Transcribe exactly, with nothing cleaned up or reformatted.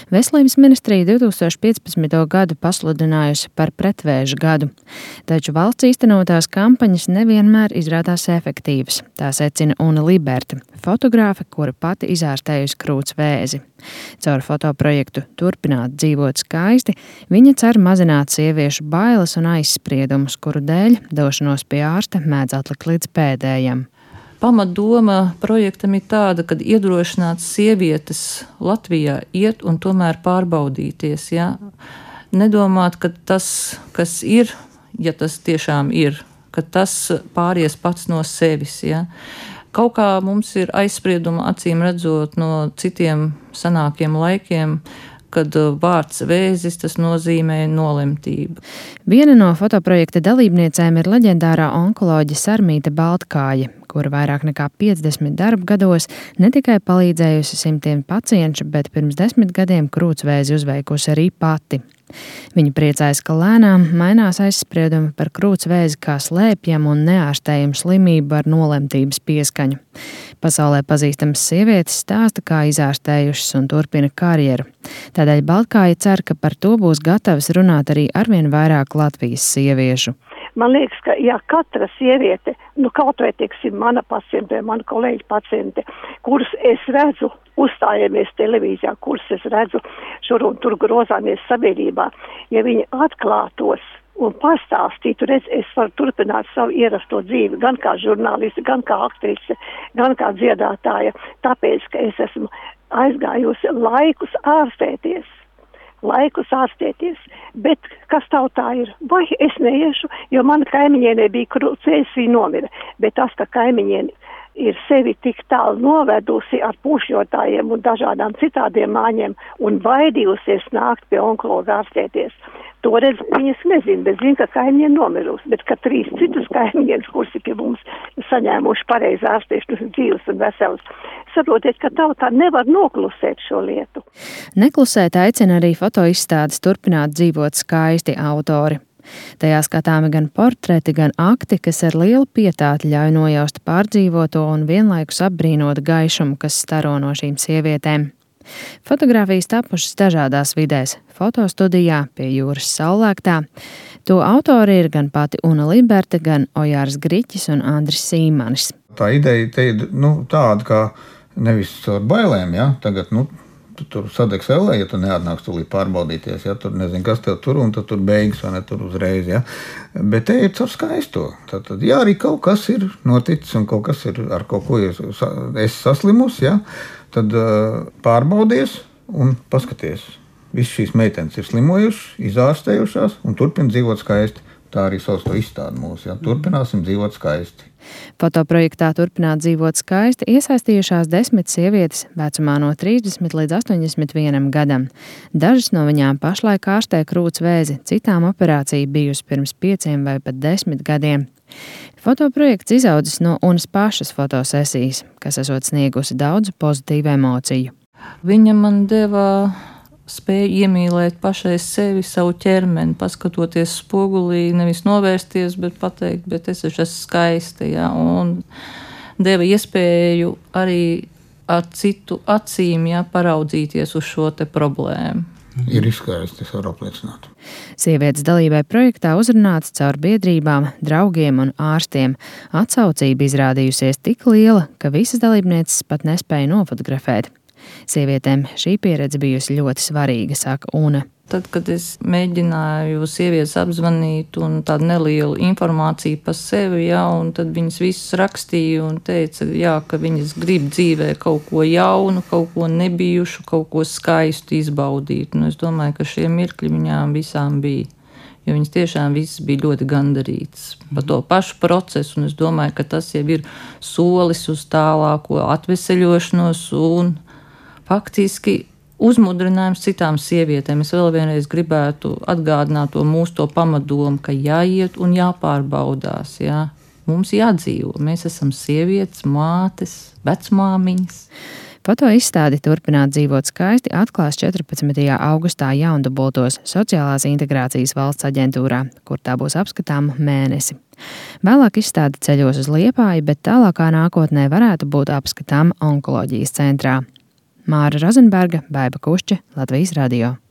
Veselības ministrija divtūkstoš piecpadsmito gadu pasludinājusi par pretvēža gadu, taču valsts īstenotās kampaņas nevienmēr izrādās efektīvas. Tā secina Una Liberta, fotogrāfe, kura pati izārstējusi krūts vēzi. Caur fotoprojektu Turpināt dzīvot skaisti viņa cer mazināt sieviešu bailes un aizspriedumus, kuru dēļ došanos pie ārsta mēdz atlikt līdz pēdējam. Pamatdoma projektam ir tāda, ka iedrošināt sievietes Latvijā iet un tomēr pārbaudīties. Ja? Nedomāt, ka tas, kas ir, ja tas tiešām ir, ka tas pāries pats no sevis. Ja? Kaut kā mums ir aizsprieduma acīm redzot no citiem senākiem laikiem, kad vārds vēzis tas nozīmē nolemtību. Viena no fotoprojekta dalībniecēm ir leģendārā onkoloģe Sarmīte Baltkāja, kura vairāk nekā piecdesmit darba gados ne tikai palīdzējusi simtiem pacientu, bet pirms desmit gadiem krūtsvēzi uzveikusi arī pati. Viņa priecājas, ka lēnām mainās aizspriedumi par krūtsvēzi kā slēpjamu un neārstējumu slimību ar nolemtības pieskaņu. Pasaulē pazīstamas sievietes stāsta, kā izārstējušas un turpina karjeru. Tādēļ Baltkāja cer, ka par to būs gatavas runāt arī arvien vairāk Latvijas sieviešu. Man liekas, ka ja katra sieviete, nu kaut vai, teiksim, mana paciente, mana kolēģa paciente, kurus es redzu, uzstājamies televīzijā, kurus es redzu šur un tur grozāmies sabiedrībā, ja viņi atklātos un pastāstītu, redz, es varu turpināt savu ierasto dzīvi, gan kā žurnāliste, gan kā aktrise, gan kā dziedātāja, tāpēc, ka es esmu aizgājusi laikus ārstēties. laikus ārstēties, bet kas tautā ir? Vai es neiešu, jo mana kaimiņienē bija krūtsvēzis, viņa nomira, bet tas, ka kaimiņiene ir sevi tik tālu novedusi ar pušļotājiem un dažādām citādiem māņiem un baidījusies nākt pie onkologa ārstēties. Toreiz viņas nezina, bet zina, ka kaimiņiene nomirusi, bet ka trīs citus kaimiņienes, kurus ir mums saņēmuši pareizi ārstēšanas dzīves un veselas. Saprotiet, ka tautā nevar noklusēt šo lietu. Neklusēt aicina arī fotoizstādes Turpināt dzīvot skaisti autori. Tajā skatāmi gan portreti, gan akti, kas ar lielu pietāti ļauj nojaust pārdzīvoto un vienlaikus apbrīnot gaišumu, kas staro no šīm sievietēm. Fotogrāfijas tapušas dažādās vidēs – fotostudijā, pie jūras saulēktā. To autori ir gan pati Una Liberta, gan Ojārs Griķis un Andris Sīmanis. Tā ideja te ir nu, tāda, ka nevis ar bailēm, ja? Tagad, nu, tu tur sadegs ellē, ja tu neatnāks tūlīt pārbaudīties, ja? Tur nezinu, kas tev tur, un tad tur beigas, vai ne, tur uzreiz, ja? Bet te ir caur skaisto. Tad, tad, ja arī kaut kas ir noticis, un kaut kas ir ar kaut ko es, es saslimus, ja? Tad uh, pārbaudies un paskaties. Visas šīs meitenes ir slimojušas, izārstējušās un turpina dzīvot skaisti. Tā arī sauc to izstādi mūsu, ja? Turpināsim dzīvot skaisti. Fotoprojektā Turpināt dzīvot skaisti iesaistījušās desmit sievietes vecumā no trīsdesmit līdz astoņdesmit vienam gadam. Dažas no viņām pašlaik ārstē krūts vēzi, citām operācija bijusi pirms pieciem vai pat desmit gadiem. Fotoprojekts izaudzis no Unas pašas fotosesijas, kas esot sniegusi daudz pozitīvu emociju. Viņa man deva spēju iemīlēt pašai sevi, savu ķermeni, paskatoties spogulī, nevis novērsties, bet pateikt, bet es esmu skaista, ja, un deva iespēju arī ar citu acīm, ja, paraudzīties uz šo te problēmu. Ir izskaisti, es varu apliecināt. Sievietes dalībai projektā uzrunāts caur biedrībām, draugiem un ārstiem. Atsaucība izrādījusies tik liela, ka visas dalībnieces pat nespēja nofotografēt. Sievietēm šī pieredze bijusi ļoti svarīga, saka Una. Tad, kad es mēģināju sievietes apzvanīt un tādu nelielu informāciju par sevi, ja, un tad viņas visas rakstīja un teica, jā, ka viņas grib dzīvē kaut ko jaunu, kaut ko nebijušu, kaut ko skaistu izbaudīt. Un es domāju, ka šie mirkļi viņām visām bija. Jo viņas tiešām visas bija ļoti gandarītas par to pašu procesu, un es domāju, ka tas jau ir solis uz tālāko atveseļošanos un faktiski uzmudrinājums citām sievietēm. Es vēl vienreiz gribētu atgādināt to mūsu to pamatdomu, ka jāiet un jāpārbaudās. Jā. Mums jādzīvo. Mēs esam sievietes, mātes, vecmāmiņas. Fotoizstādi Turpināt dzīvot skaisti atklās četrpadsmitajā augustā Jaundubultos Sociālās integrācijas valsts aģentūrā, kur tā būs apskatāma mēnesi. Vēlāk izstāde ceļos uz Liepāju, bet tālākā nākotnē varētu būt apskatāma onkoloģijas centrā. Māra Rozenberga, Baiba Kušķe, Latvijas radio.